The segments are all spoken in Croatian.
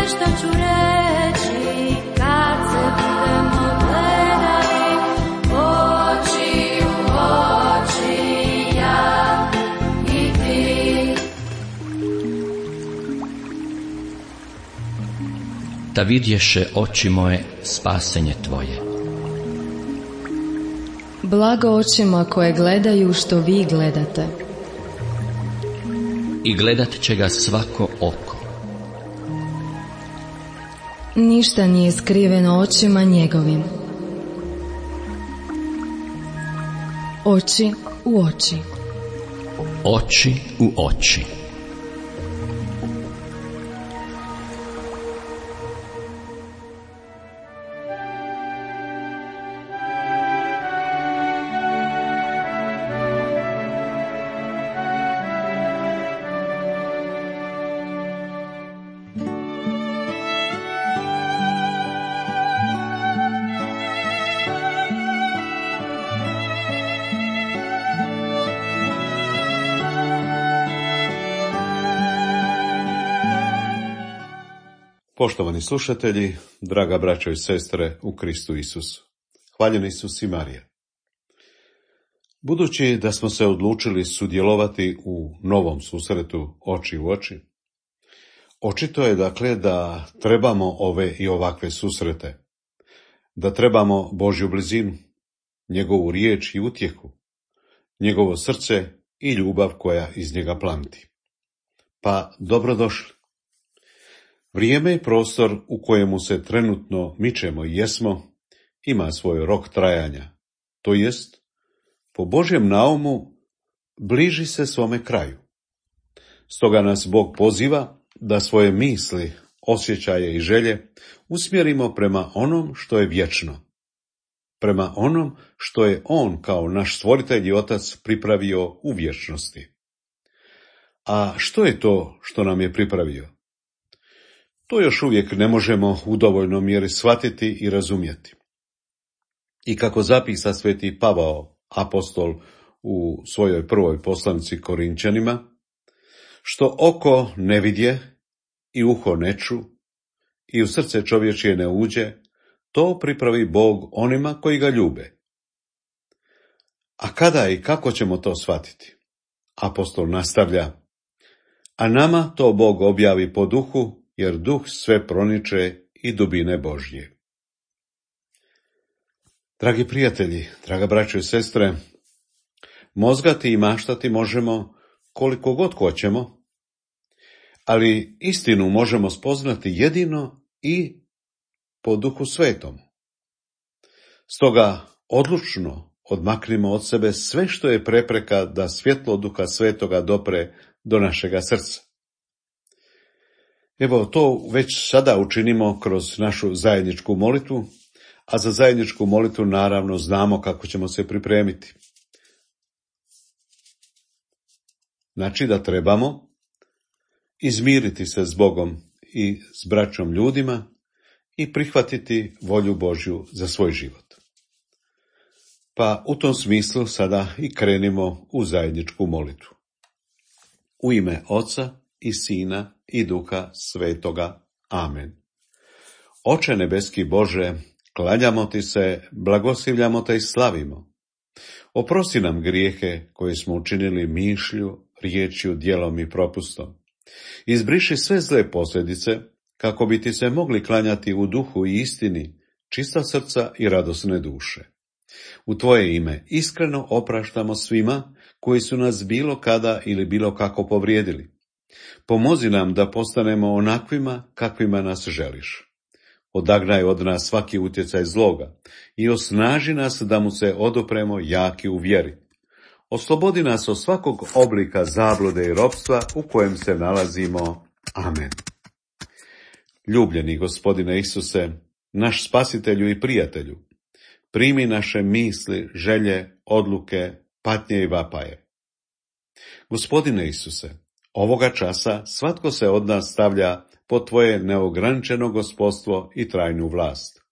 što ću reći kad se budemo gledali oči u oči, ja i ti. Da vidješe oči moje spasenje tvoje. Blago očima koje gledaju što vi gledate. I gledat će ga svako oko. Ništa nije skriveno očima njegovim. Oči u oči. Oči u oči. Poštovani slušatelji, draga braćo i sestre u Kristu Isusu, hvaljeni Isus i Marija. Budući da smo se odlučili sudjelovati u novom susretu oči u oči, očito je dakle da trebamo ove i ovakve susrete, da trebamo Božju blizinu, njegovu riječ i utjehu, njegovo srce i ljubav koja iz njega plamti. Pa dobrodošli. Vrijeme i prostor u kojemu se trenutno mičemo i jesmo ima svoj rok trajanja, to jest, po Božjem naumu, bliži se svome kraju. Stoga nas Bog poziva da svoje misli, osjećaje i želje usmjerimo prema onom što je vječno, prema onom što je On kao naš stvoritelj i otac pripravio u vječnosti. A što je to što nam je pripravio? To još uvijek ne možemo u dovoljnoj mjeri shvatiti i razumjeti. I kako zapisa sveti Pavao, apostol, u svojoj prvoj poslanici Korinčanima, što oko ne vidje i uho ne ču i u srce čovječje ne uđe, to pripravi Bog onima koji ga ljube. A kada i kako ćemo to shvatiti? Apostol nastavlja, a nama to Bog objavi po duhu, jer duh sve proniče i dubine Božje. Dragi prijatelji, draga braćo i sestre, mozgati i maštati možemo koliko god hoćemo, ali istinu možemo spoznati jedino i po Duhu Svetom. Stoga odlučno odmaknimo od sebe sve što je prepreka da svjetlo Duha Svetoga dopre do našega srca. Evo, to već sada učinimo kroz našu zajedničku molitvu, a za zajedničku molitvu naravno znamo kako ćemo se pripremiti. Znači da trebamo izmiriti se s Bogom i s braćom ljudima i prihvatiti volju Božju za svoj život. Pa u tom smislu sada i krenimo u zajedničku molitvu. U ime Oca i Sina i Duha Svetoga. Amen. Oče nebeski Bože, klanjamo ti se, blagoslivljamo te i slavimo. Oprosti nam grijehe koje smo učinili mišlju, riječju, djelom i propustom. Izbriši sve zle posljedice, kako bi ti se mogli klanjati u duhu i istini, čista srca i radosne duše. U tvoje ime iskreno opraštamo svima koji su nas bilo kada ili bilo kako povrijedili. Pomozi nam da postanemo onakvima kakvima nas želiš. Odagnaj od nas svaki utjecaj zloga i osnaži nas da mu se odupremo jaki u vjeri. Oslobodi nas od svakog oblika zablude i ropstva u kojem se nalazimo. Amen. Ljubljeni Gospodine Isuse, naš spasitelju i prijatelju, primi naše misli, želje, odluke, patnje i vapaje. Gospodine Isuse, ovoga časa svatko se od nas stavlja pod tvoje neograničeno gospodstvo i trajnu vlast.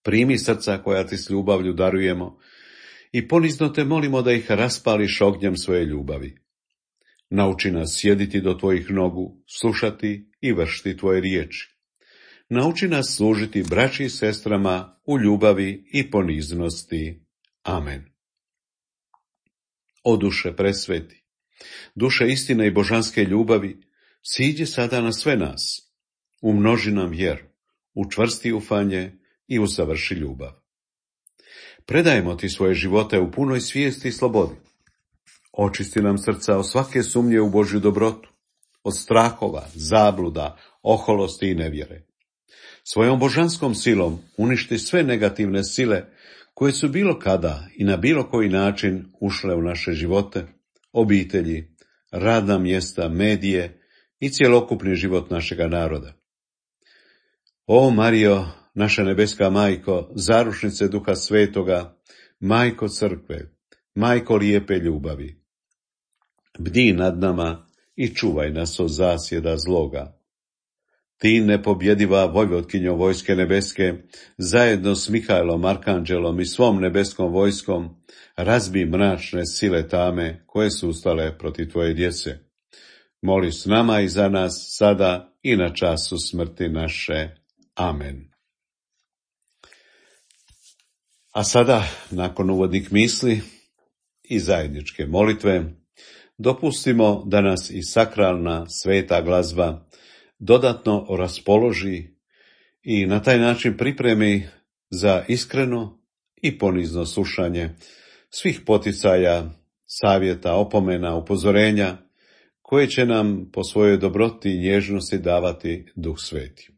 Primi srca koja ti s ljubavlju darujemo i ponizno te molimo da ih raspališ ognjem svoje ljubavi. Nauči nas sjediti do tvojih nogu, slušati i vršiti tvoje riječi. Nauči nas služiti braći i sestrama u ljubavi i poniznosti. Amen. O duše presveti, duše istine i božanske ljubavi, siđi sada na sve nas, umnoži nam vjeru, učvrsti ufanje i usavrši ljubav. Predajemo ti svoje živote u punoj svijesti i slobodi. Očisti nam srca od svake sumnje u Božju dobrotu, od strahova, zabluda, oholosti i nevjere. Svojom božanskom silom uništi sve negativne sile koje su bilo kada i na bilo koji način ušle u naše živote, obitelji, radna mjesta, medije i cjelokupni život našega naroda. O Marijo, naša nebeska majko, zaručnice Duha Svetoga, majko crkve, majko lijepe ljubavi, bdi nad nama i čuvaj nas od zasjeda zloga. Ti, nepobjediva vojvotkinjo vojske nebeske, zajedno s Mihajlom, Arkanđelom i svom nebeskom vojskom, razbi mračne sile tame koje su ustale protiv tvoje djece. Moli s nama i za nas sada i na času smrti naše. Amen. A sada, nakon uvodnih misli i zajedničke molitve, dopustimo da nas i sakralna sveta glazba dodatno raspoloži i na taj način pripremi za iskreno i ponizno slušanje svih poticaja, savjeta, opomena, upozorenja koje će nam po svojoj dobroti i nježnosti davati Duh Sveti.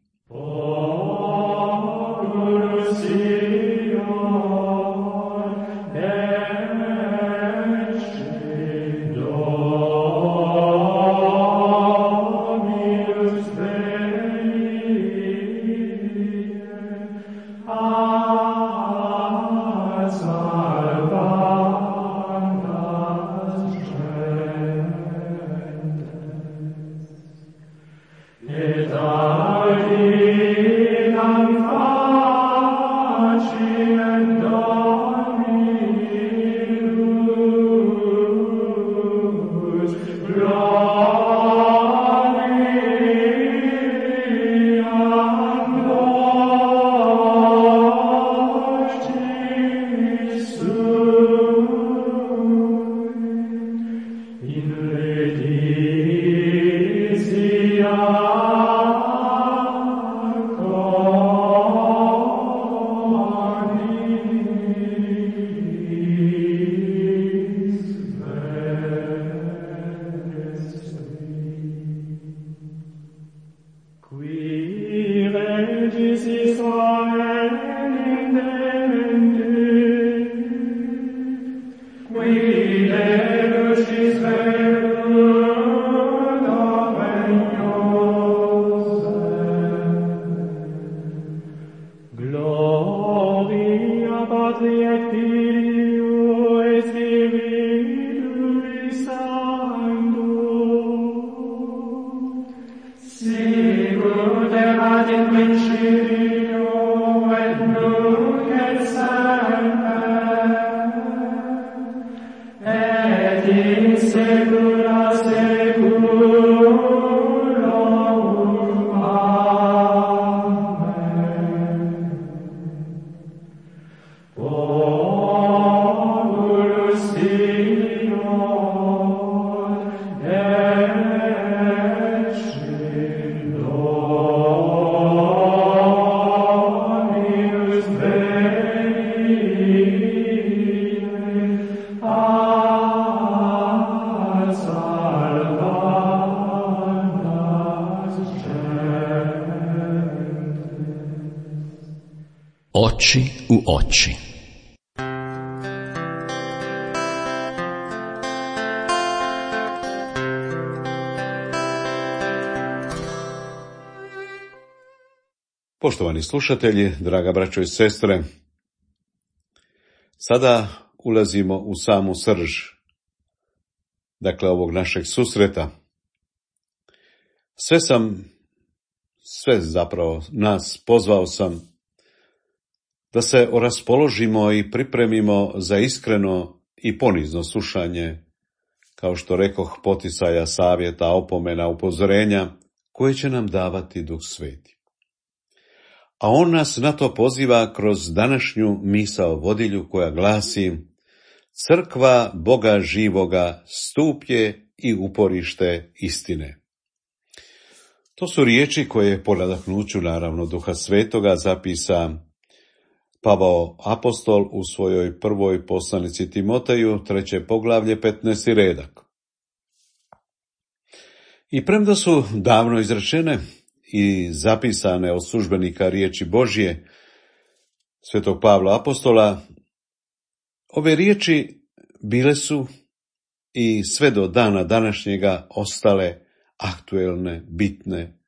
Oči u oči. Poštovani slušatelji, draga braćo i sestre, sada ulazimo u samu srž, dakle ovog našeg susreta. Sve zapravo nas pozvao sam da se raspoložimo i pripremimo za iskreno i ponizno slušanje, kao što rekoh, poticaja, savjeta, opomena, upozorenja koje će nam davati Duh Sveti. A on nas na to poziva kroz današnju misao vodilju koja glasi: crkva Boga živoga, stup je i uporište istine. To su riječi koje po nadahnuću naravno Duha Svetoga zapisa Pavao apostol u svojoj prvoj poslanici Timoteju, 3. poglavlje, 15. redak. I premda su davno izrečene i zapisane od službenika riječi Božje, svetog Pavla apostola, ove riječi bile su i sve do dana današnjega ostale aktuelne, bitne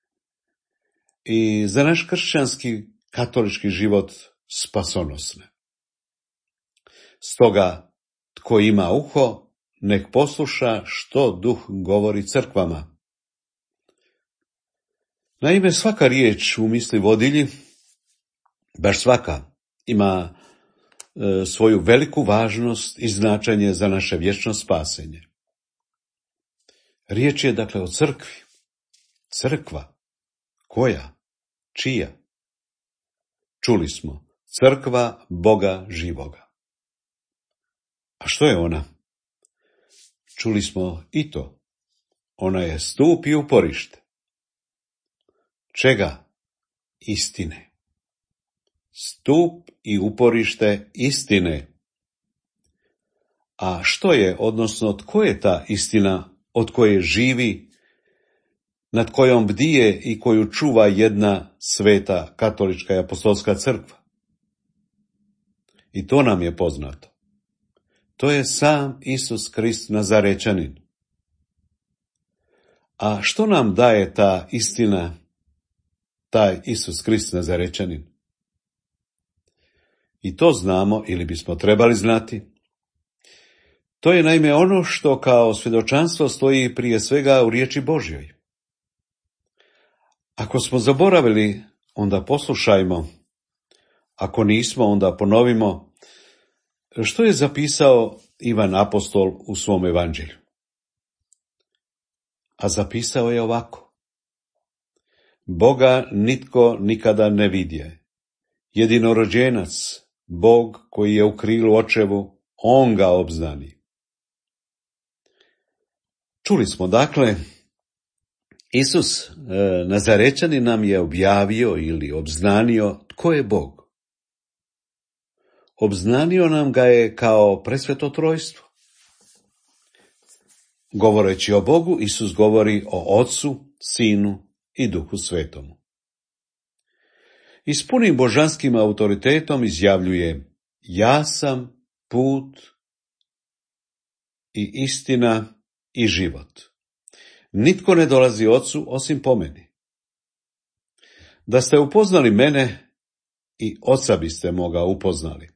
i za naš kršćanski katolički život spasonosne. Stoga, tko ima uho, nek posluša što Duh govori crkvama. Naime, svaka riječ u misli vodilji, baš svaka, ima svoju veliku važnost i značenje za naše vječno spasenje. Riječ je dakle o crkvi. Crkva. Koja? Čija? Čuli smo, crkva Boga živoga. A što je ona? Čuli smo i to. Ona je stup i uporište. Čega? Istine. Stup i uporište istine. A što je, odnosno tko je ta istina od koje živi, nad kojom bdije i koju čuva jedna sveta katolička i apostolska crkva? I to nam je poznato. To je sam Isus Krist Nazarečanin. A što nam daje ta istina, taj Isus Krist Nazarečanin? I to znamo, ili bismo trebali znati. To je naime ono što kao svjedočanstvo stoji prije svega u riječi Božjoj. Ako smo zaboravili, onda poslušajmo. Ako nismo, onda ponovimo što je zapisao Ivan apostol u svom evanđelju. A zapisao je ovako: Boga nitko nikada ne vidje. Jedinorođenac, Bog koji je u krilu očevu, on ga obznani. Čuli smo dakle, Isus Nazarečanin nam je objavio ili obznanio tko je Bog. Obznanio nam ga je kao presveto trojstvo. Govoreći o Bogu, Isus govori o Otcu, Sinu i Duhu Svetomu. I s punim božanskim autoritetom izjavljuje: ja sam put i istina i život. Nitko ne dolazi Otcu osim po meni. Da ste upoznali mene, i Oca biste moga upoznali.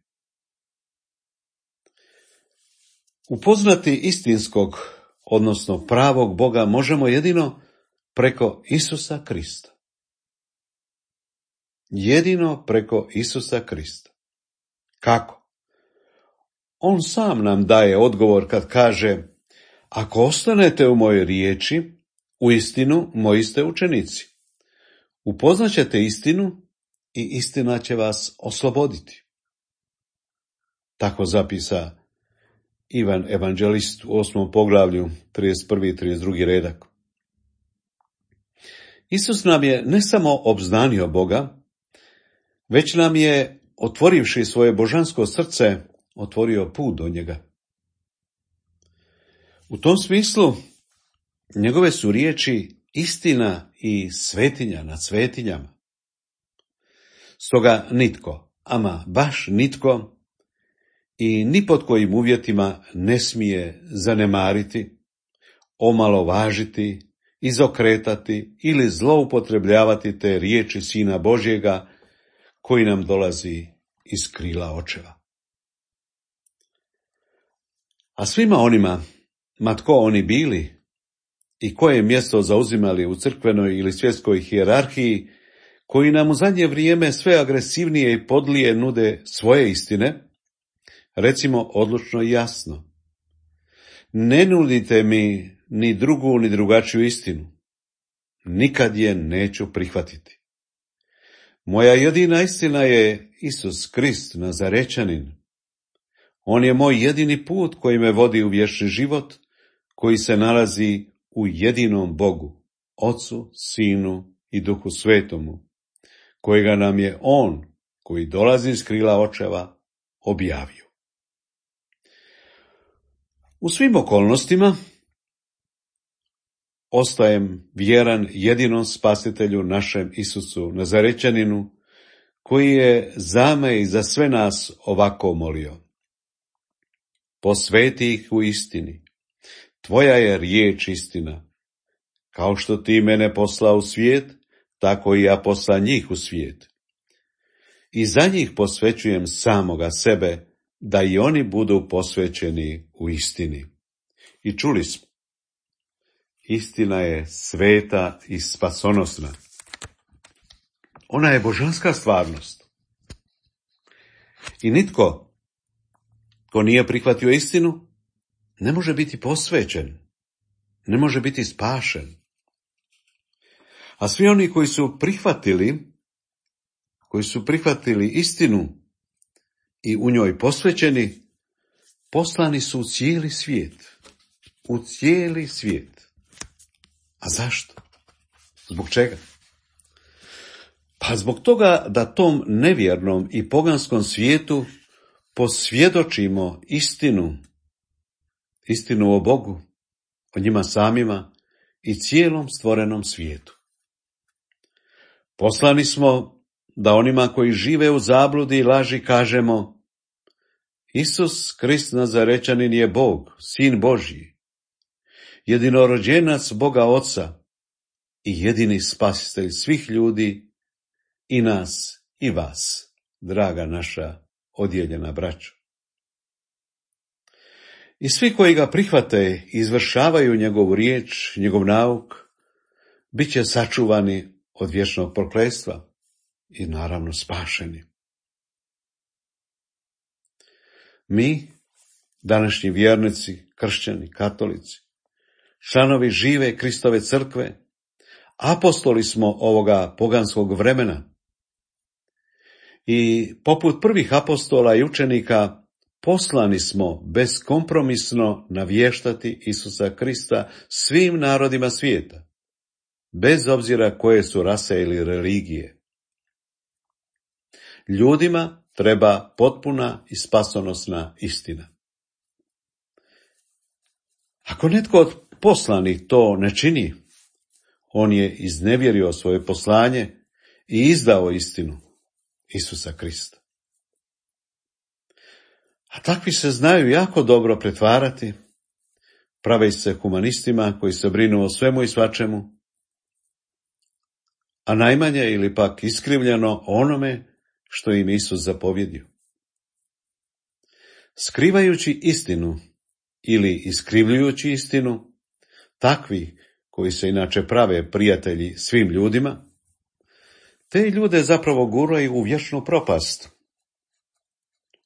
Upoznati istinskog, odnosno pravog Boga, možemo jedino preko Isusa Krista. Jedino preko Isusa Krista. Kako? On sam nam daje odgovor kad kaže: ako ostanete u mojoj riječi, uistinu moji ste učenici. Upoznaćete istinu i istina će vas osloboditi. Tako zapisa Ivan evanđelist u 8. poglavlju, 31. i 32. redak. Isus nam je ne samo obznanio Boga, već nam je, otvorivši svoje božansko srce, otvorio put do njega. U tom smislu, njegove su riječi istina i svetinja nad svetinjama. Stoga nitko, ama baš nitko, i ni pod kojim uvjetima ne smije zanemariti, omalovažiti, izokretati ili zloupotrebljavati te riječi Sina Božjega koji nam dolazi iz krila očeva. A svima onima, ma tko oni bili i koje mjesto zauzimali u crkvenoj ili svjetskoj hijerarhiji, koji nam u zadnje vrijeme sve agresivnije i podlije nude svoje istine, recimo odlučno i jasno: ne nudite mi ni drugu ni drugačiju istinu. nikad je neću prihvatiti. Moja jedina istina je Isus Krist, Nazarečanin. On je moj jedini put koji me vodi u vječni život, koji se nalazi u jedinom Bogu, Ocu, Sinu i Duhu Svetomu, kojega nam je On, koji dolazi iz krila očeva, objavio. U svim okolnostima ostajem vjeran jedinom spasitelju našem Isusu Nazarečaninu, koji je za me i za sve nas ovako molio. Posveti ih u istini. Tvoja je riječ istina. Kao što ti mene poslao u svijet, tako i ja posla njih u svijet. I za njih posvećujem samoga sebe, da i oni budu posvećeni u istini. I čuli smo, istina je sveta i spasonosna. Ona je božanska stvarnost. I nitko ko nije prihvatio istinu, ne može biti posvećen, ne može biti spašen. A svi oni koji su prihvatili istinu i u njoj posvećeni, poslani su u cijeli svijet. U cijeli svijet. A zašto? Zbog čega? Pa zbog toga da tom nevjernom i poganskom svijetu posvjedočimo istinu o Bogu, o njima samima i cijelom stvorenom svijetu. Poslani smo da onima koji žive u zabludi i laži kažemo: Isus Krist Nazarečanin je Bog, Sin Božji, jedinorođenac Boga Oca i jedini spasitelj svih ljudi, i nas i vas, draga naša odijeljena braćo. I svi koji ga prihvate i izvršavaju njegovu riječ, njegov nauk, bit će sačuvani od vječnog prokletstva i naravno spašeni. Mi, današnji vjernici, kršćani, katolici, članovi žive Kristove crkve, apostoli smo ovoga poganskog vremena i poput prvih apostola i učenika poslani smo beskompromisno navještati Isusa Krista svim narodima svijeta, bez obzira koje su rase ili religije. Ljudima treba potpuna i spasonosna istina. Ako netko od poslanih to ne čini, on je iznevjerio svoje poslanje i izdao istinu Isusa Krista. A takvi se znaju jako dobro pretvarati, prave se humanistima koji se brinu o svemu i svačemu, a najmanje ili pak iskrivljeno onome što im Isus zapovjedio. Skrivajući istinu ili iskrivljujući istinu, takvi koji se inače prave prijatelji svim ljudima, te ljude zapravo guraju u vječnu propast.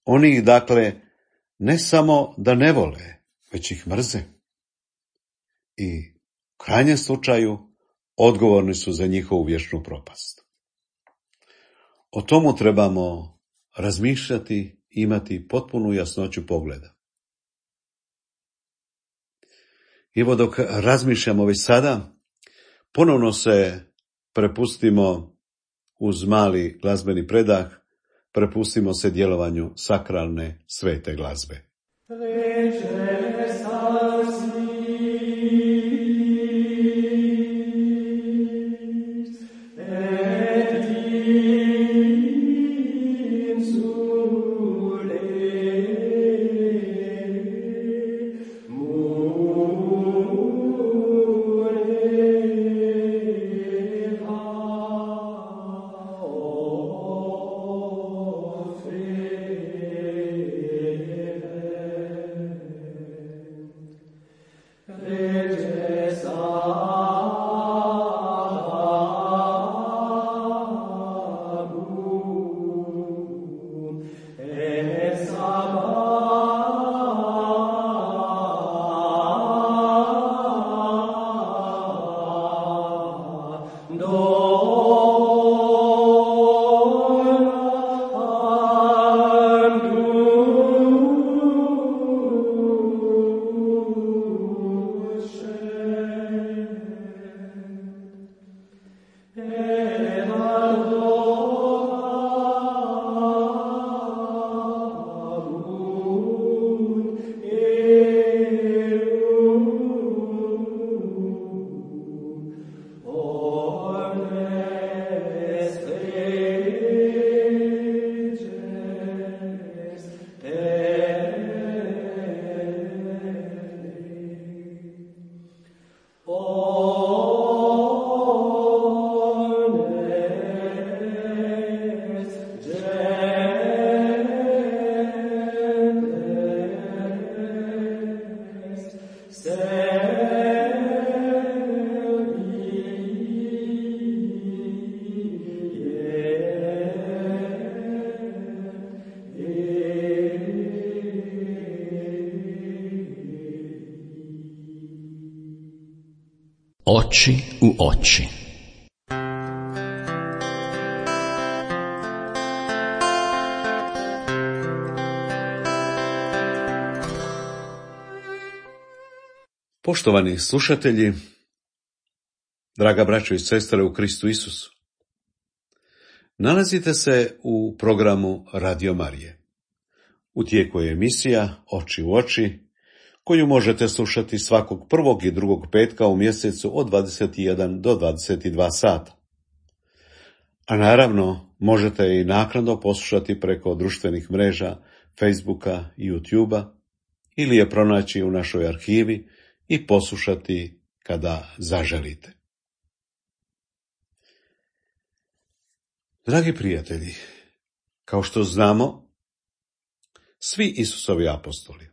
Oni ih, dakle, ne samo da ne vole, već ih mrze. I u krajnjem slučaju odgovorni su za njihovu vječnu propast. O tomu trebamo razmišljati, imati potpunu jasnoću pogleda. Evo dok razmišljamo već sada, ponovno se prepustimo uz mali glazbeni predah, prepustimo se djelovanju sakralne svete glazbe. Oči u oči. Poštovani slušatelji, draga braćo i sestre u Kristu Isusu, nalazite se u programu Radio Marije. U tijeku je emisija Oči u oči, koju možete slušati svakog prvog i drugog petka u mjesecu od 21 do 22 sata. A naravno, možete i naknadno poslušati preko društvenih mreža, Facebooka i YouTubea, ili je pronaći u našoj arhivi i poslušati kada zaželite. Dragi prijatelji, kao što znamo, svi Isusovi apostoli,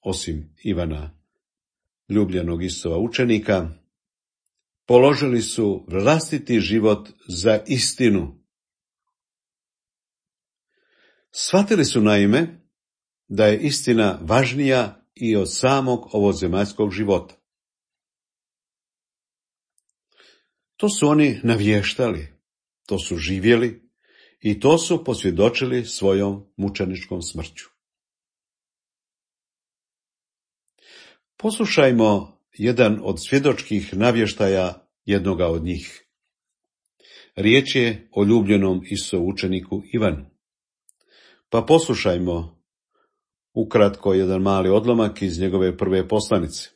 osim Ivana, ljubljenog Isusova učenika, položili su vlastiti život za istinu. Shvatili su naime da je istina važnija i od samog ovozemaljskog života. To su oni navještali, to su živjeli i to su posvjedočili svojom mučeničkom smrću. Poslušajmo jedan od svjedočkih navještaja jednoga od njih. Riječ je o ljubljenom Isusovu učeniku Ivanu. Pa poslušajmo ukratko jedan mali odlomak iz njegove prve poslanice.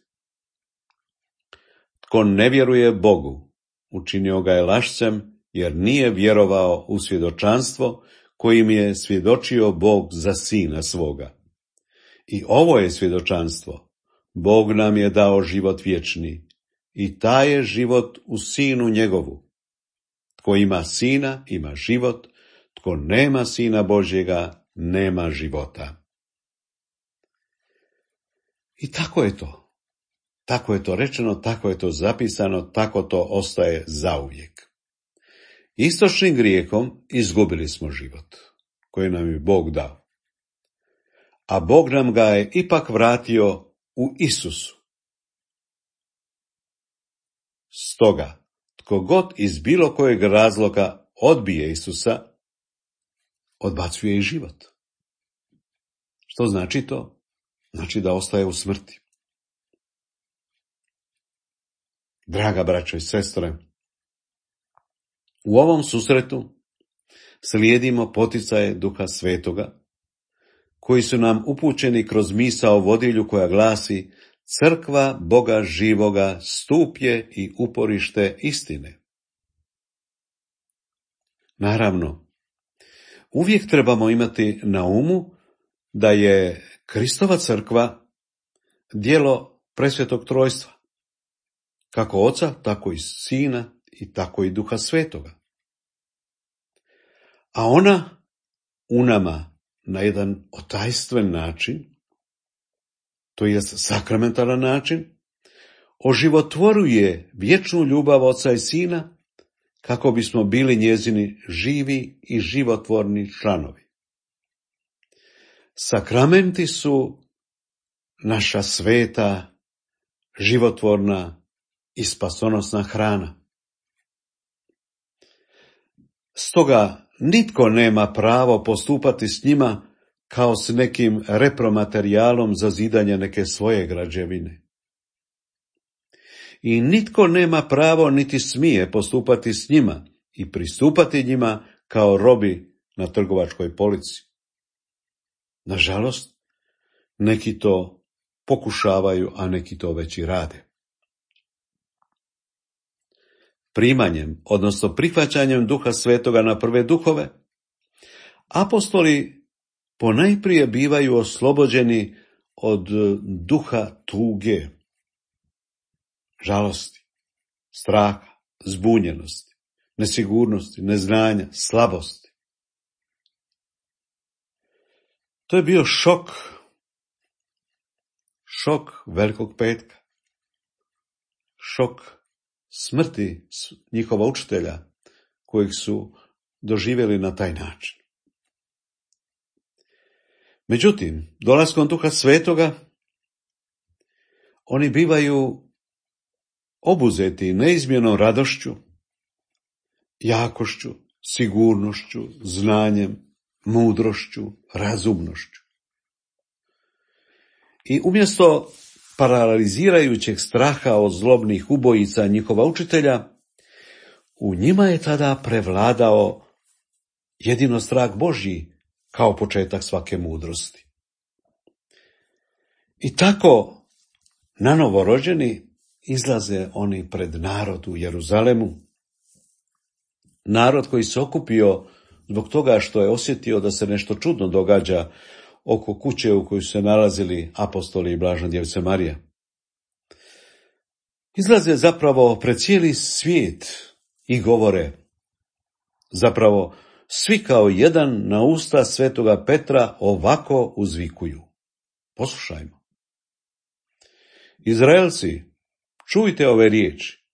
Tko ne vjeruje Bogu, učinio ga je lašcem, jer nije vjerovao u svjedočanstvo kojim je svjedočio Bog za sina svoga. I ovo je svjedočanstvo. Bog nam je dao život vječni i taj je život u sinu njegovu. Tko ima sina, ima život, tko nema sina Božjega, nema života. I tako je to. Tako je to rečeno, tako je to zapisano, tako to ostaje zauvijek. Istočnim grijehom izgubili smo život, koji nam je Bog dao. A Bog nam ga je ipak vratio u Isusu. Stoga, tko god iz bilo kojeg razloga odbije Isusa, odbacuje i život. Što znači to? Znači da ostaje u smrti. Draga braćo i sestre, u ovom susretu slijedimo poticaje Duha Svetoga, koji su nam upućeni kroz misao vodilju koja glasi: Crkva Boga živoga, stup je i uporište istine. Naravno, uvijek trebamo imati na umu da je Kristova crkva djelo presvetog trojstva, kako Oca, tako i Sina i tako i Duha Svetoga. A ona u nama na jedan otajstven način, to je sakramentalan način, oživotvoruje vječnu ljubav Oca i Sina, kako bismo bili njezini živi i životvorni članovi. Sakramenti su naša sveta, životvorna i spasonosna hrana. Stoga nitko nema pravo postupati s njima kao s nekim repromaterijalom za zidanje neke svoje građevine. I nitko nema pravo niti smije postupati s njima i pristupati njima kao robi na trgovačkoj polici. Nažalost, neki to pokušavaju, a neki to već i rade. Primanjem, odnosno prihvaćanjem Duha Svetoga na prve duhove, apostoli ponajprije bivaju oslobođeni od duha tuge, žalosti, straha, zbunjenosti, nesigurnosti, neznanja, slabosti. To je bio šok Velikog petka, šok smrti njihova učitelja, kojeg su doživjeli na taj način. Međutim, dolaskom Duha Svetoga, oni bivaju obuzeti neizmjernom radošću, jakošću, sigurnošću, znanjem, mudrošću, razumnošću. I umjesto paralizirajućeg straha od zlobnih ubojica njihova učitelja, u njima je tada prevladao jedino strah Božji kao početak svake mudrosti. I tako, nanovo rođeni, izlaze oni pred narod u Jeruzalemu, narod koji se okupio zbog toga što je osjetio da se nešto čudno događa oko kuće u kojoj su se nalazili apostoli i Blažena Djevica Marija. Izlaze zapravo pred cijeli svijet i govore, zapravo svi kao jedan na usta svetoga Petra ovako uzvikuju. Poslušajmo. Izraelci, čujte ove riječi.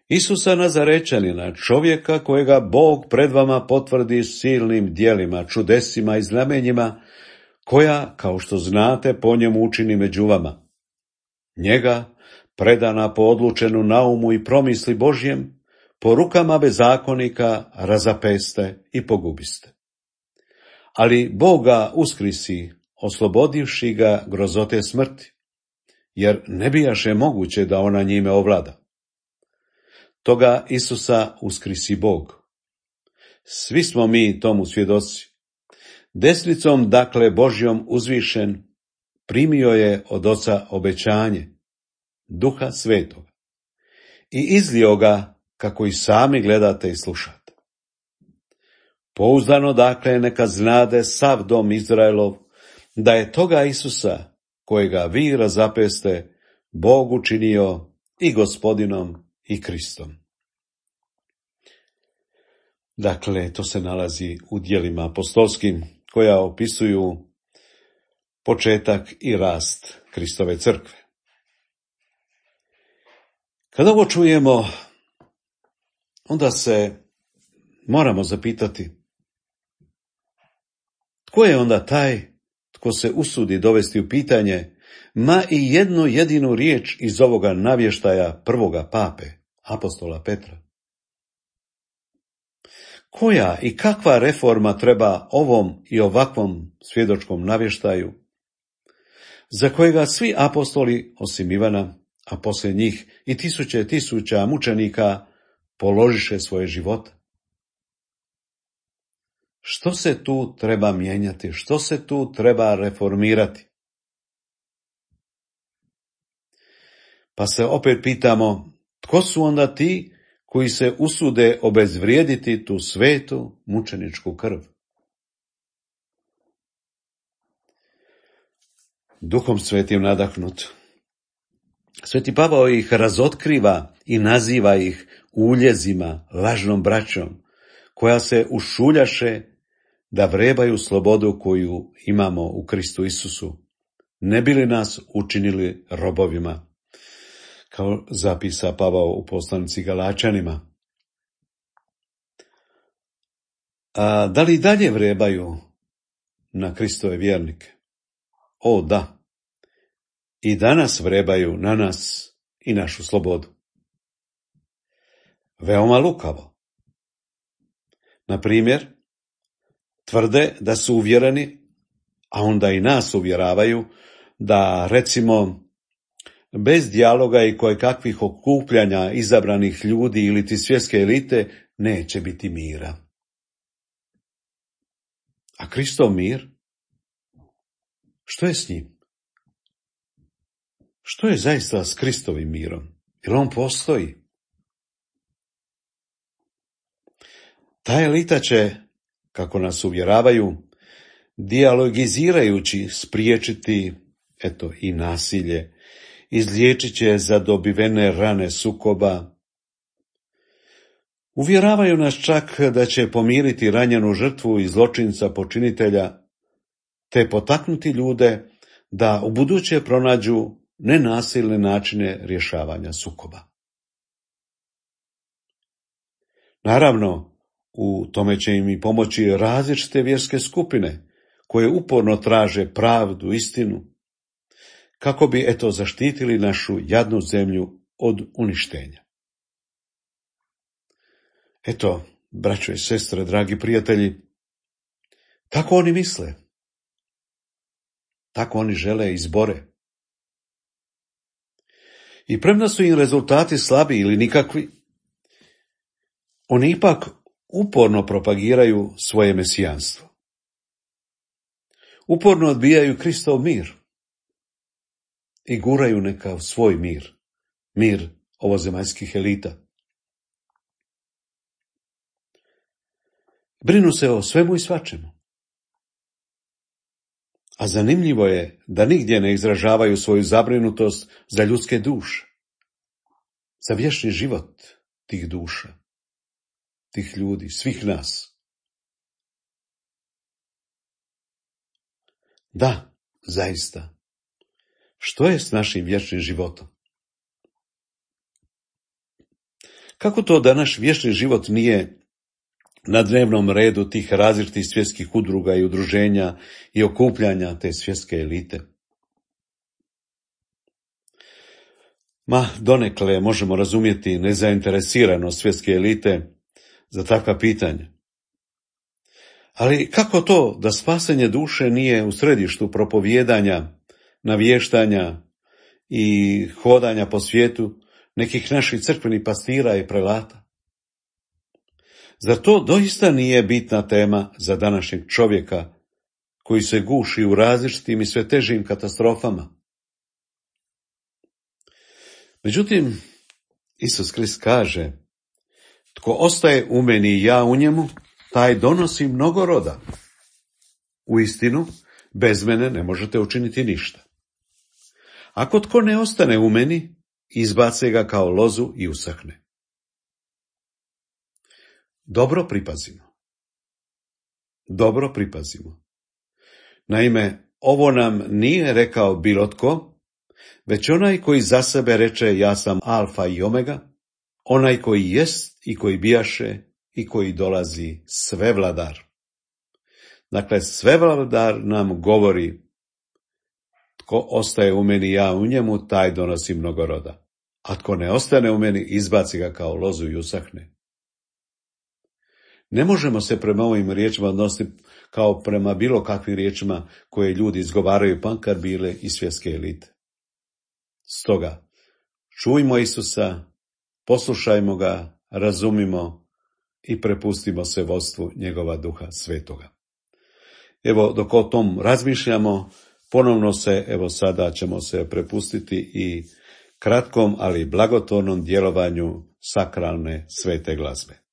Isusa Nazarečanina, čovjeka kojega Bog pred vama potvrdi silnim djelima, čudesima i znamenjima, koja, kao što znate, po njemu učini među vama. Njega, predana po odlučenu naumu i promisli Božjem, po rukama bezakonika razapeste i pogubiste. Ali Bog ga uskrisi, oslobodivši ga grozote smrti, jer ne bijaše moguće da ona njime ovlada. Toga Isusa uskrisi Bog. Svi smo mi tomu svjedoci. Desnicom, dakle, Božjom uzvišen, primio je od Oca obećanje, Duha Svetoga, i izlio ga, kako i sami gledate i slušate. Pouzdano, dakle, neka znade sav dom Izraelov, da je toga Isusa, kojega vi razapeste, Bog učinio i Gospodinom i Kristom. Dakle, to se nalazi u djelima apostolskim, koja opisuju početak i rast Kristove crkve. Kada ovo čujemo, onda se moramo zapitati, tko je onda taj tko se usudi dovesti u pitanje ma i jednu jedinu riječ iz ovoga navještaja prvoga pape, apostola Petra? Koja i kakva reforma treba ovom i ovakvom svjedočkom navještaju, za kojega svi apostoli, osim Ivana, a poslije njih i tisuća mučenika, položiše svoje živote? Što se tu treba mijenjati? Što se tu treba reformirati? Pa se opet pitamo, tko su onda ti koji se usude obezvrijediti tu svetu mučeničku krv? Duhom Svetim nadahnut, Sveti Pavao ih razotkriva i naziva ih uljezima, lažnom braćom, koja se ušuljaše da vrebaju slobodu koju imamo u Kristu Isusu, ne bi li nas učinili robovima, kao zapisa Pavao u poslanici Galačanima. A da li dalje vrebaju na Kristove vjernike? O, da. I danas vrebaju na nas i našu slobodu. Veoma lukavo. Na primjer, tvrde da su uvjereni, a onda i nas uvjeravaju, da recimo bez dijaloga i kojekakvih okupljanja izabranih ljudi ili ti svjetske elite neće biti mira. A Kristov mir? Što je s njim? Što je zaista s Kristovim mirom? Jer on postoji. Ta elita će, kako nas uvjeravaju, dijalogizirajući spriječiti, i nasilje, izliječit će zadobivene rane sukoba. Uvjeravaju nas čak da će pomiriti ranjenu žrtvu i zločinca počinitelja, te potaknuti ljude da ubuduće pronađu nenasilne načine rješavanja sukoba. Naravno, u tome će im i pomoći različite vjerske skupine, koje uporno traže pravdu, istinu, kako bi, zaštitili našu jadnu zemlju od uništenja. Braćo i sestre, dragi prijatelji, tako oni misle, tako oni žele i izbore. I premda su im rezultati slabi ili nikakvi, oni ipak uporno propagiraju svoje mesijanstvo. Uporno odbijaju Kristov mir i guraju neka svoj mir, mir ovozemaljskih elita. Brinu se o svemu i svačemu. A zanimljivo je da nigdje ne izražavaju svoju zabrinutost za ljudske duše, za vječni život tih duša, tih ljudi, svih nas. Da, zaista. Što je s našim vječnim životom? Kako to da naš vječni život nije na dnevnom redu tih različitih svjetskih udruga i udruženja i okupljanja te svjetske elite? Donekle možemo razumjeti nezainteresiranost svjetske elite za takva pitanja. Ali kako to da spasenje duše nije u središtu propovijedanja, navještanja i hodanja po svijetu nekih naših crkvenih pastira i prelata? Zar to doista nije bitna tema za današnjeg čovjeka koji se guši u različitim i sve težim katastrofama? Međutim, Isus Krist kaže: tko ostaje u meni i ja u njemu, taj donosi mnogo roda. Uistinu, bez mene ne možete učiniti ništa. Ako tko ne ostane u meni, izbace ga kao lozu i usahne. Dobro pripazimo. Naime, ovo nam nije rekao bilo tko, već onaj koji za sebe reče: ja sam alfa i omega, onaj koji jest i koji bijaše i koji dolazi, svevladar. Dakle, svevladar nam govori: tko ostaje u meni, ja u njemu, taj donosi mnogo roda. A tko ne ostane u meni, izbaci ga kao lozu i usahne. Ne možemo se prema ovim riječima odnositi kao prema bilo kakvim riječima koje ljudi izgovaraju, makar bile i svjetske elite. Stoga, čujmo Isusa, poslušajmo ga, razumimo i prepustimo se vodstvu njegova Duha Svetoga. Dok o tom razmišljamo, ponovno sada ćemo se prepustiti i kratkom, ali blagotvornom djelovanju sakralne svete glazbe.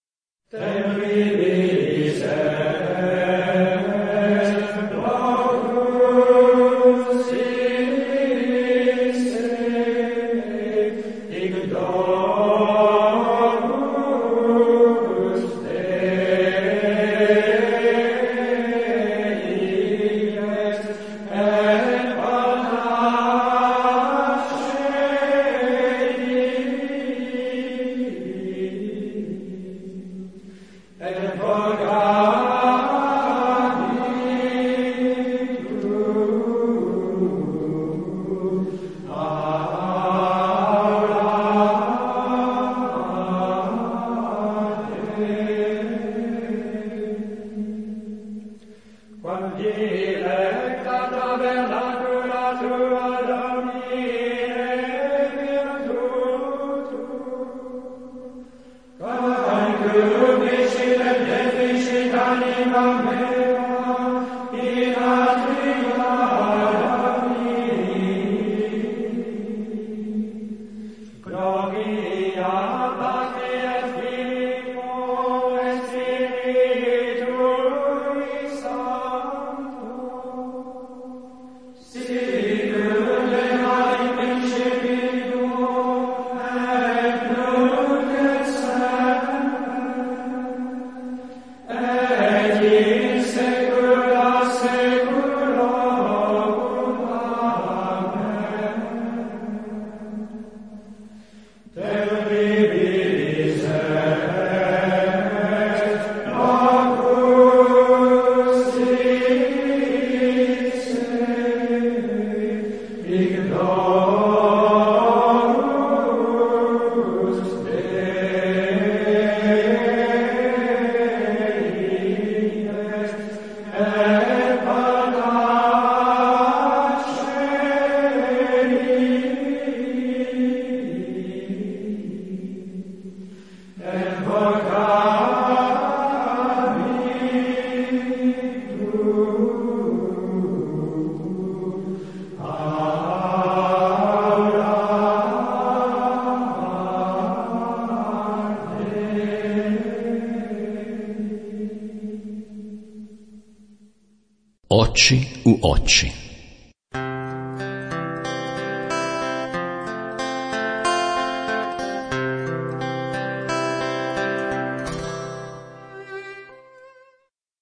Oči u oči.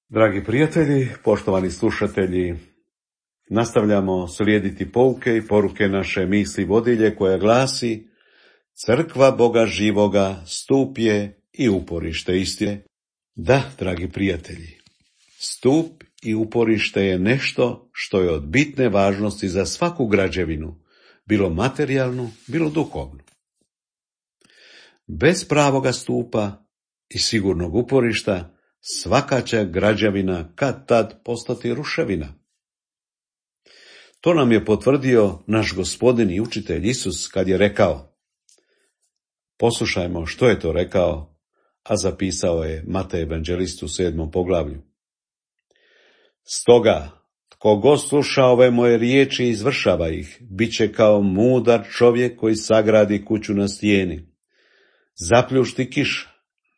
Dragi prijatelji, poštovani slušatelji, nastavljamo slijediti pouke i poruke naše misli vodilje koja glasi: Crkva Boga živoga stup je i uporište istine. Da, dragi prijatelji, stup i uporište je nešto što je od bitne važnosti za svaku građevinu, bilo materijalnu, bilo duhovnu. Bez pravoga stupa i sigurnog uporišta svaka će građevina kad tad postati ruševina. To nam je potvrdio naš Gospodin i učitelj Isus kad je rekao. Poslušajmo što je to rekao, a zapisao je Matej evanđelist u 7. poglavlju. Stoga, tko god sluša ove moje riječi i izvršava ih, bit će kao mudar čovjek koji sagradi kuću na stijeni. Zapljušti kiša,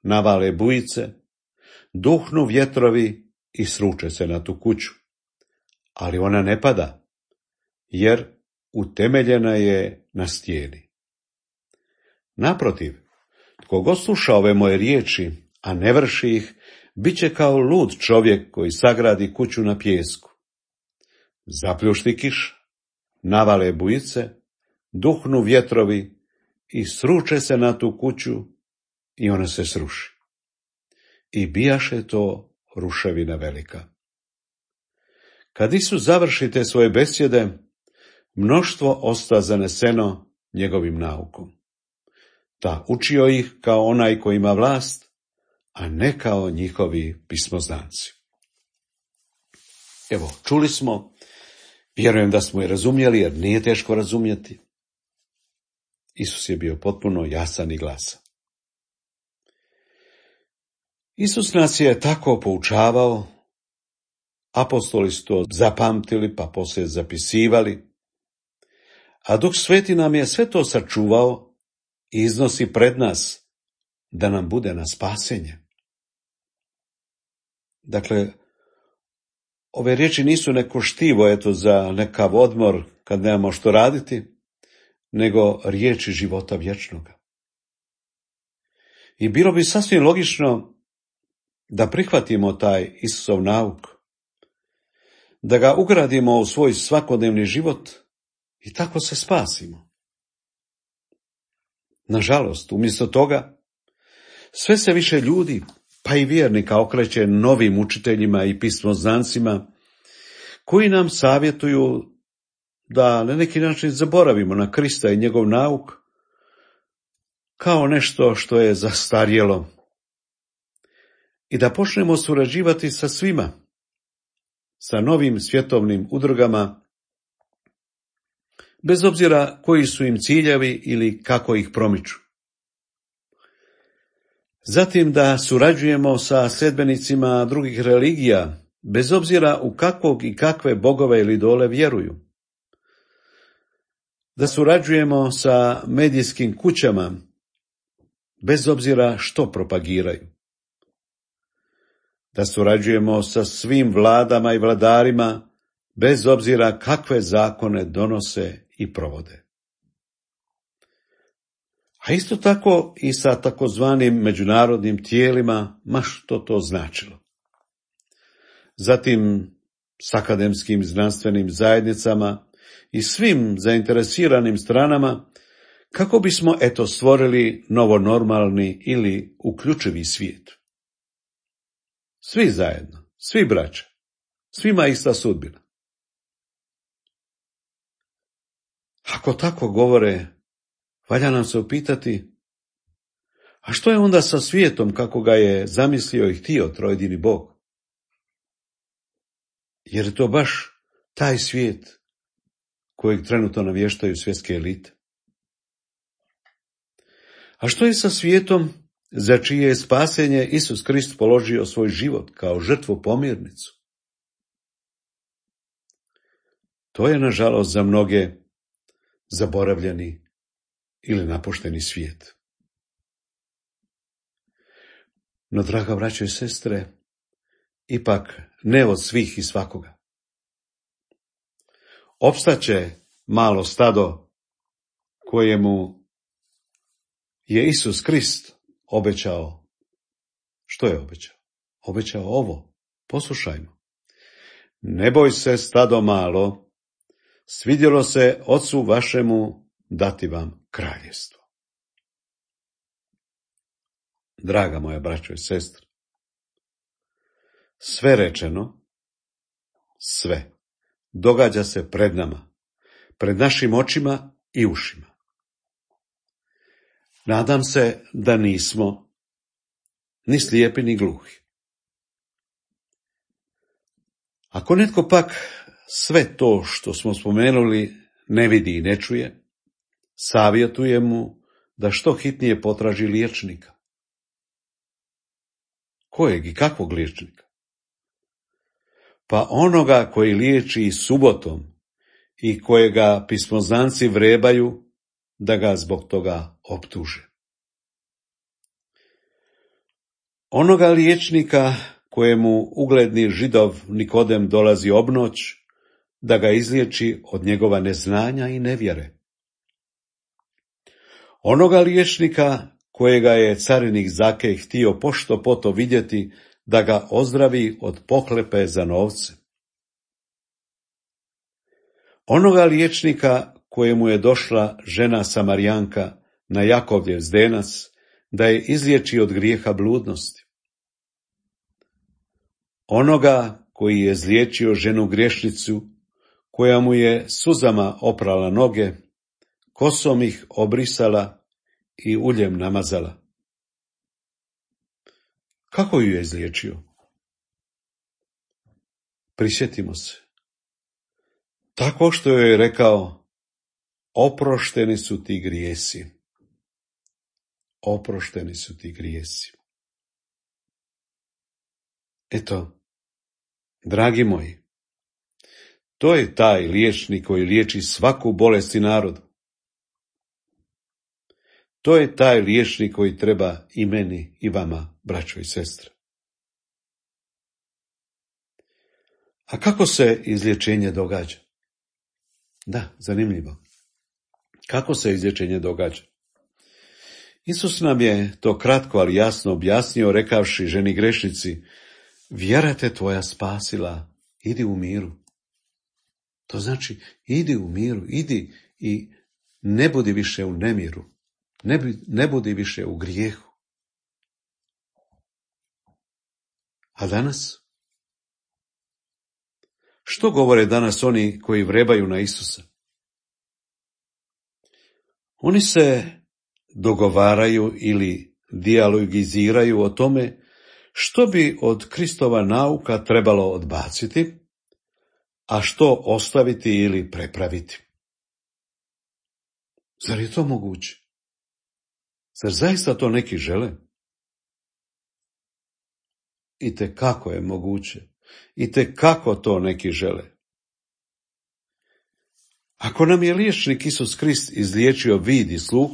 navale bujice, duhnu vjetrovi i sruče se na tu kuću. Ali ona ne pada, jer utemeljena je na stijeni. Naprotiv, tko god sluša ove moje riječi, a ne vrši ih, bit će kao lud čovjek koji sagradi kuću na pijesku. Zapljušti kiša, navale bujice, duhnu vjetrovi i sruče se na tu kuću i ona se sruši. I bijaše to ruševina velika. Kad Isus završi te svoje besjede, mnoštvo osta zaneseno njegovim naukom. Ta učio ih kao onaj koji ima vlast, a ne kao njihovi pismoznanci. Evo, čuli smo, vjerujem da smo i razumjeli, jer nije teško razumjeti. Isus je bio potpuno jasan i glasan. Isus nas je tako poučavao, apostoli su to zapamtili, pa poslije zapisivali, a Duh Sveti nam je sve to sačuvao i iznosi pred nas da nam bude na spasenje. Dakle, ove riječi nisu neko štivo za nekav odmor kad nemamo što raditi, nego riječi života vječnoga. I bilo bi sasvim logično da prihvatimo taj Isusov nauk, da ga ugradimo u svoj svakodnevni život i tako se spasimo. Nažalost, umjesto toga, sve se više ljudi, pa i vjernika, okreće novim učiteljima i pismoznancima, koji nam savjetuju da na neki način zaboravimo na Krista i njegov nauk, kao nešto što je zastarjelo, i da počnemo surađivati sa svima, sa novim svjetovnim udrugama, bez obzira koji su im ciljevi ili kako ih promiču. Zatim da surađujemo sa sledbenicima drugih religija, bez obzira u kakvog i kakve bogove ili idole vjeruju. Da surađujemo sa medijskim kućama, bez obzira što propagiraju. Da surađujemo sa svim vladama i vladarima, bez obzira kakve zakone donose i provode. A isto tako i sa takozvanim međunarodnim tijelima, ma što to značilo. Zatim s akademskim znanstvenim zajednicama i svim zainteresiranim stranama, kako bismo stvorili novonormalni ili uključivi svijet. Svi zajedno, svi braća, svima ista sudbina. Ako tako govore, valja nam se upitati, a što je onda sa svijetom kako ga je zamislio i htio trojedini Bog? Jer je to baš taj svijet kojeg trenutno navještaju svjetske elite. A što je sa svijetom za čije je spasenje Isus Krist položio svoj život kao žrtvu pomirnicu? To je, nažalost, za mnoge zaboravljeni ili napušteni svijet. No, draga braćo i sestre, ipak ne od svih i svakoga. Opstaće malo stado kojemu je Isus Krist obećao. Što je obećao? Obećao ovo. Poslušajmo. Ne boj se, stado malo, svidjelo se Ocu vašemu dati vam kraljevstvo. Draga moja braćo i sestre, sve rečeno, sve, događa se pred nama, pred našim očima i ušima. Nadam se da nismo ni slijepi ni gluhi. Ako netko pak sve to što smo spomenuli ne vidi i ne čuje, savjetujem mu da što hitnije potraži liječnika. Kojeg i kakvog liječnika? Pa onoga koji liječi i subotom i kojega pismoznanci vrebaju da ga zbog toga optuže. Onoga liječnika kojemu ugledni Židov Nikodem dolazi obnoć da ga izliječi od njegova neznanja i nevjere. Onoga liječnika kojega je carinik Zakej htio pošto poto vidjeti da ga ozdravi od pohlepe za novce. Onoga liječnika kojemu je došla žena Samarijanka na Jakovljev zdenac da je izliječi od grijeha bludnosti. Onoga koji je izliječio ženu griješnicu, koja mu je suzama oprala noge, kosom ih obrisala i uljem namazala. Kako ju je izliječio? Prisjetimo se. Tako što joj je rekao, oprošteni su ti grijesi. Oprošteni su ti grijesi. Eto, dragi moji, to je taj liječnik koji liječi svaku bolest i narodu. To je taj liječnik koji treba i meni i vama, braćo i sestre. A kako se izlječenje događa? Da, zanimljivo. Kako se izlječenje događa? Isus nam je to kratko, ali jasno objasnio, rekavši ženi grešnici, vjera te tvoja spasila, idi u miru. To znači, idi u miru, idi i ne budi više u nemiru, ne budi više u grijehu. A danas? Što govore danas oni koji vrebaju na Isusa? Oni se dogovaraju ili dijalogiziraju o tome što bi od Kristova nauka trebalo odbaciti, a što ostaviti ili prepraviti. Zar je to moguće? Zar zaista to neki žele? I te kako je moguće. I te kako to neki žele. Ako nam je liječnik Isus Krist izliječio vid i sluh,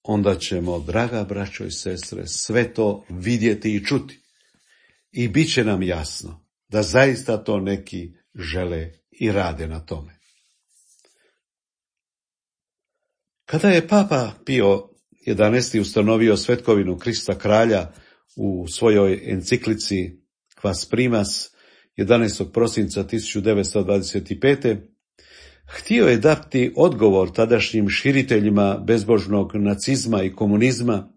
onda ćemo, draga braćo i sestre, sve to vidjeti i čuti. I bit će nam jasno da zaista to neki žele i rade na tome. Kada je Papa Pio XI ustanovio svetkovinu Krista kralja u svojoj enciklici Quas Primas 11. prosinca 1925. htio je dati odgovor tadašnjim širiteljima bezbožnog nacizma i komunizma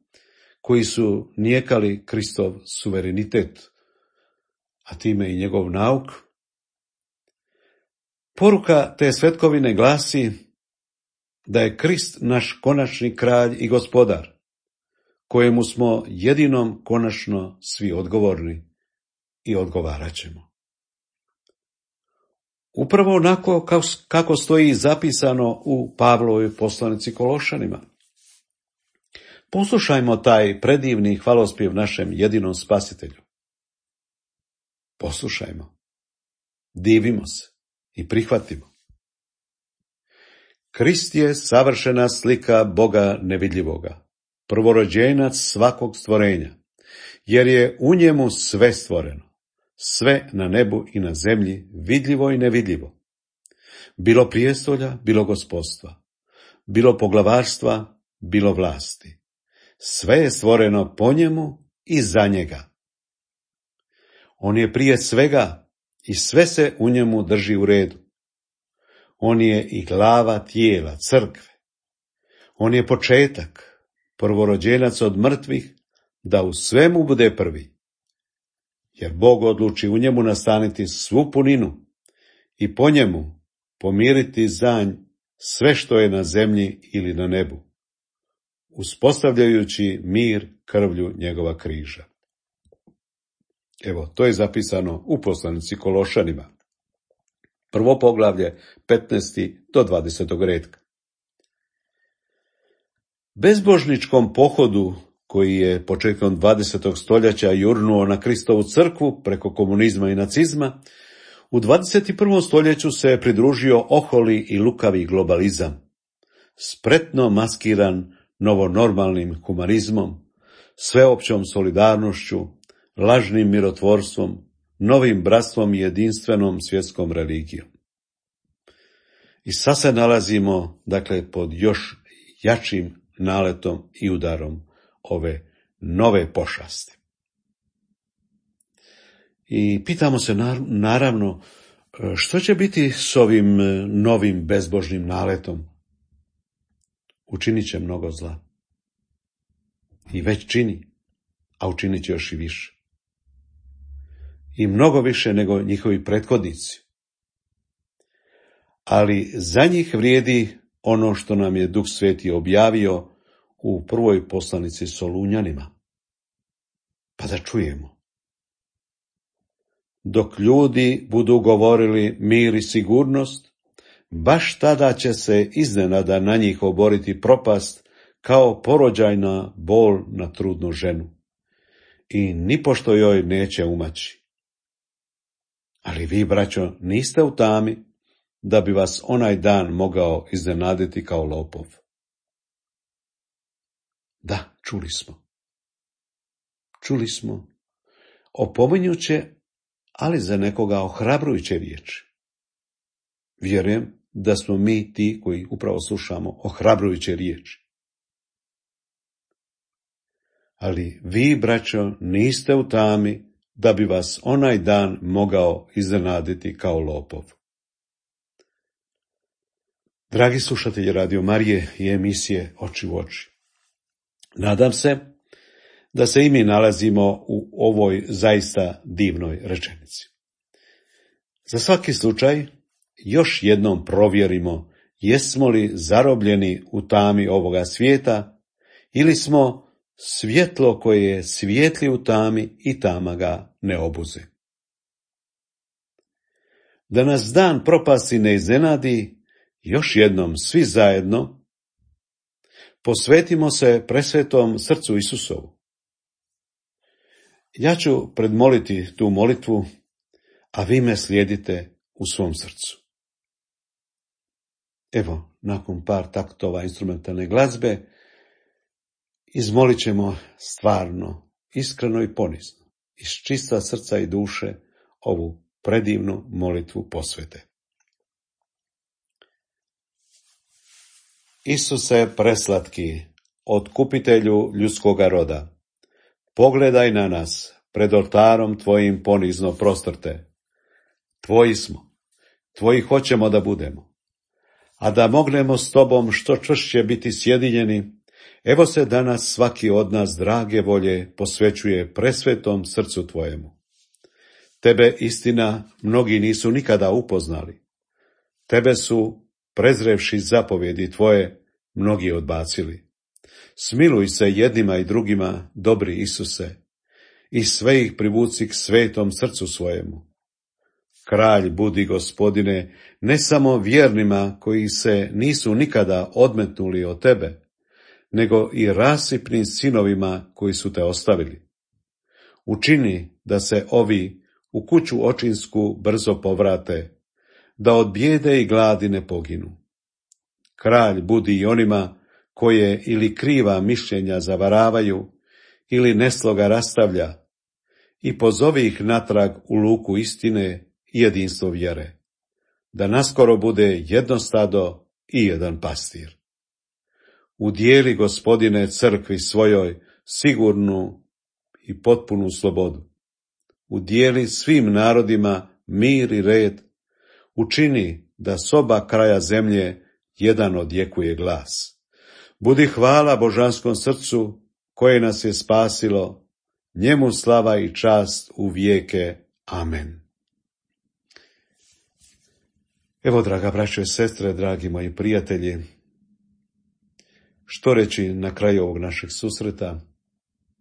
koji su nijekali Kristov suverenitet, a time i njegov nauk. Poruka te svetkovine glasi da je Krist naš konačni kralj i gospodar, kojemu smo jedinom konačno svi odgovorni i odgovarat ćemo. Upravo onako kako stoji zapisano u Pavlovoj poslanici Kološanima. Poslušajmo taj predivni hvalospjev našem jedinom spasitelju. Poslušajmo, divimo se i prihvatimo. Krist je savršena slika Boga nevidljivoga, prvorođenac svakog stvorenja, jer je u njemu sve stvoreno, sve na nebu i na zemlji, vidljivo i nevidljivo. Bilo prijestolja, bilo gospodstva, bilo poglavarstva, bilo vlasti. Sve je stvoreno po njemu i za njega. On je prije svega i sve se u njemu drži u redu. On je i glava tijela, crkve. On je početak, prvorođenac od mrtvih, da u svemu bude prvi. Jer Bog odluči u njemu nastaniti svu puninu i po njemu pomiriti za nj sve što je na zemlji ili na nebu, uspostavljajući mir krvlju njegova križa. Evo, to je zapisano u poslanici Kološanima. Prvo poglavlje, 15. do 20. redka. Bezbožničkom pohodu, koji je početkom 20. stoljeća jurnuo na Kristovu crkvu preko komunizma i nacizma, u 21. stoljeću se pridružio oholi i lukavi globalizam, spretno maskiran novonormalnim humanizmom, sveopćom solidarnošću, lažnim mirotvorstvom, novim bratstvom i jedinstvenom svjetskom religijom. I sad se nalazimo, dakle, pod još jačim naletom i udarom ove nove pošasti. I pitamo se naravno što će biti s ovim novim bezbožnim naletom. Učinit će mnogo zla. I već čini, a učinit će još i više. I mnogo više nego njihovi prethodnici. Ali za njih vrijedi ono što nam je Duh Sveti objavio u prvoj poslanici Solunjanima. Pa da čujemo. Dok ljudi budu govorili mir i sigurnost, baš tada će se iznenada na njih oboriti propast kao porođajna bol na trudnu ženu. I nipošto joj neće umaći. Ali vi, braćo, niste u tami, da bi vas onaj dan mogao iznenaditi kao lopov. Da, čuli smo opominjuće, ali za nekoga ohrabrujuće riječi. Vjerujem da smo mi ti koji upravo slušamo ohrabrujuće riječi. Ali vi, braćo, niste u tami, da bi vas onaj dan mogao iznenaditi kao lopov. Dragi slušatelji Radio Marije i emisije Oči u oči, nadam se da se i mi nalazimo u ovoj zaista divnoj rečenici. Za svaki slučaj još jednom provjerimo jesmo li zarobljeni u tami ovoga svijeta ili smo svjetlo koje svijetli u tami i tama ga ne obuze. Da nas dan propasti ne iznenadi, još jednom svi zajedno posvetimo se presvetom srcu Isusovu. Ja ću predmoliti tu molitvu, a vi me slijedite u svom srcu. Evo, nakon par taktova instrumentalne glazbe, izmolit ćemo stvarno, iskreno i ponizno, iz čista srca i duše, ovu predivnu molitvu posvete. Isuse preslatki, otkupitelju ljudskoga roda, pogledaj na nas, pred oltarom tvojim ponizno prostrte. Tvoji smo, tvoji hoćemo da budemo, a da mognemo s tobom što čvršće biti sjedinjeni, evo se danas svaki od nas drage volje posvećuje presvetom srcu tvojemu. Tebe, istina, mnogi nisu nikada upoznali. Tebe su, prezrevši zapovjedi tvoje, mnogi odbacili. Smiluj se jednima i drugima, dobri Isuse, i sve ih privuci k svetom srcu svojemu. Kralj budi, Gospodine, ne samo vjernima koji se nisu nikada odmetnuli od tebe, nego i rasipnim sinovima koji su te ostavili. Učini da se ovi u kuću očinsku brzo povrate, da od bijede i gladi ne poginu. Kralj budi i onima koje ili kriva mišljenja zavaravaju, ili nesloga rastavlja, i pozovi ih natrag u luku istine i jedinstvo vjere, da naskoro bude jedno stado i jedan pastir. Udijeli, Gospodine, crkvi svojoj sigurnu i potpunu slobodu. Udijeli svim narodima mir i red, učini da s oba kraja zemlje jedan odjekuje glas. Budi hvala božanskom srcu koje nas je spasilo, njemu slava i čast u vijeke. Amen. Evo, draga braćo i sestre, dragi moji prijatelji, što reći na kraju ovog našeg susreta,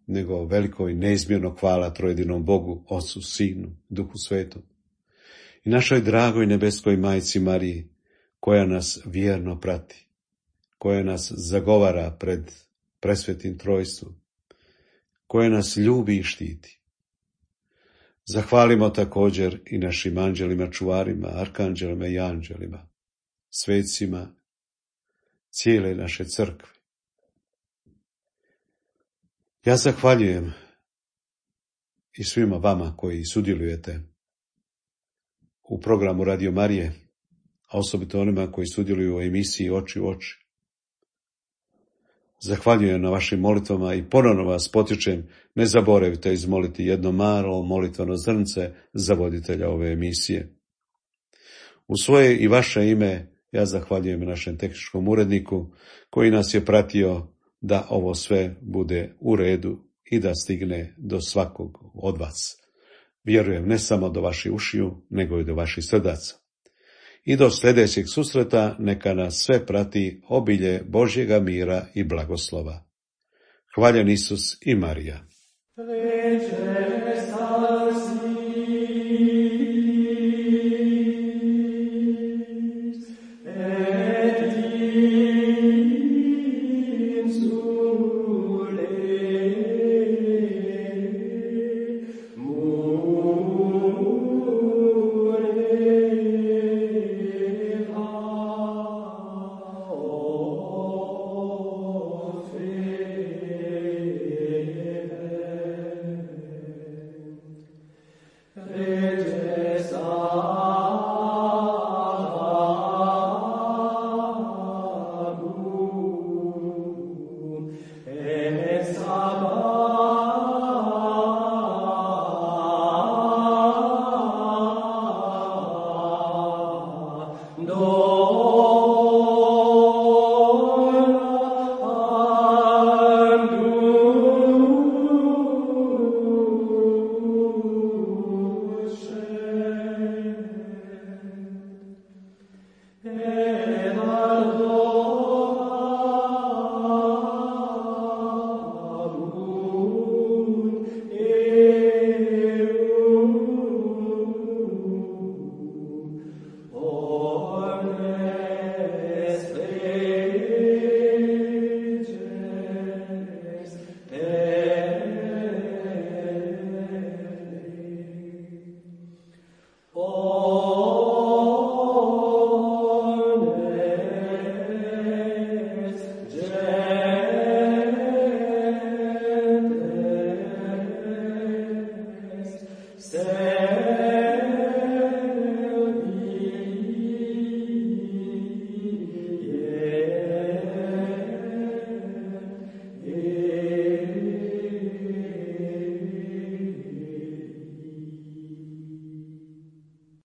nego veliko i neizmjerno hvala trojedinom Bogu, Ocu, Sinu, Duhu Svetom i našoj dragoj nebeskoj majci Mariji, koja nas vjerno prati, koja nas zagovara pred presvetim trojstvom, koja nas ljubi i štiti. Zahvalimo također i našim anđelima, čuvarima, arkanđelima i anđelima, svecima cijele naše crkve. Ja zahvaljujem i svima vama koji sudjelujete u programu Radio Marije, a osobito onima koji sudjeluju u emisiji Oči u oči. Zahvaljujem na vašim molitvama i ponovno vas potičem, ne zaboravite izmoliti jedno malo molitveno zrnce za voditelja ove emisije. U svoje i vaše ime ja zahvaljujem našem tehničkom uredniku koji nas je pratio da ovo sve bude u redu i da stigne do svakog od vas. Vjerujem ne samo do vaših ušiju, nego i do vaših srdaca. I do sljedećeg susreta neka nas sve prati obilje Božjega mira i blagoslova. Hvaljen Isus i Marija.